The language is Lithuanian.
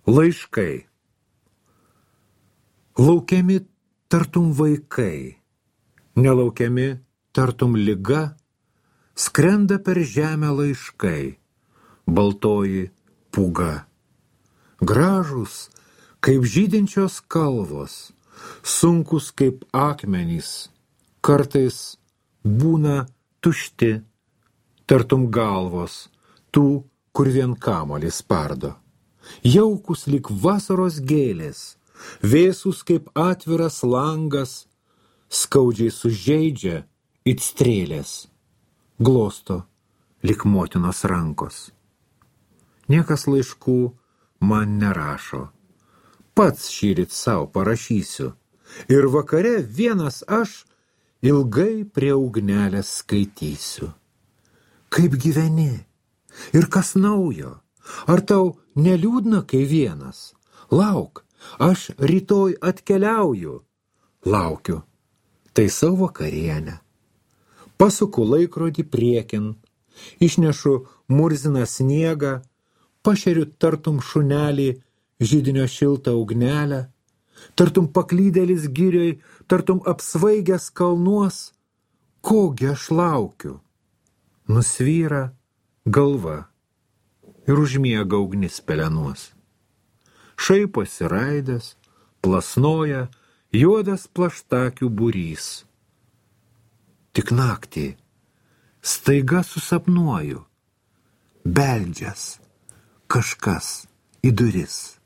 Laiškai. Laukiami tartum vaikai, nelaukiami tartum liga, skrenda per žemę laiškai, baltoji pūga. Gražūs kaip žydinčios kalvos, sunkus kaip akmenys, kartais būna tušti, tartum galvos, tų, kur vien kamuolį spardo. Jaukus lyg vasaros gėlės, vėsus kaip atviras langas, skaudžiai sužeidžia it strėlės, glosto lyg motinos rankos. Niekas laiškų man nerašo, pats šįryt sau parašysiu, ir vakare vienas aš ilgai prie ugnelės skaitysiu. Kaip gyveni? Ir kas naujo? Ar tau neliūdna, kai vienas? Lauk, aš rytoj atkeliauju. Laukiu, taisau vakarienę. Pasuku laikrodį priekin, išnešu murziną sniegą, pašeriu tartum šunelį židinio šiltą ugnelę, tartum paklydėlis girioj, tartum apsvaigęs kalnuos. Kogi aš laukiu? Nusvyra galva ir užmiega ugnis pelenuos. Šaiposi raidės, plasnoja juodas plaštakių būrys. Tik naktį staiga susapnuoju, beldžias kažkas į duris.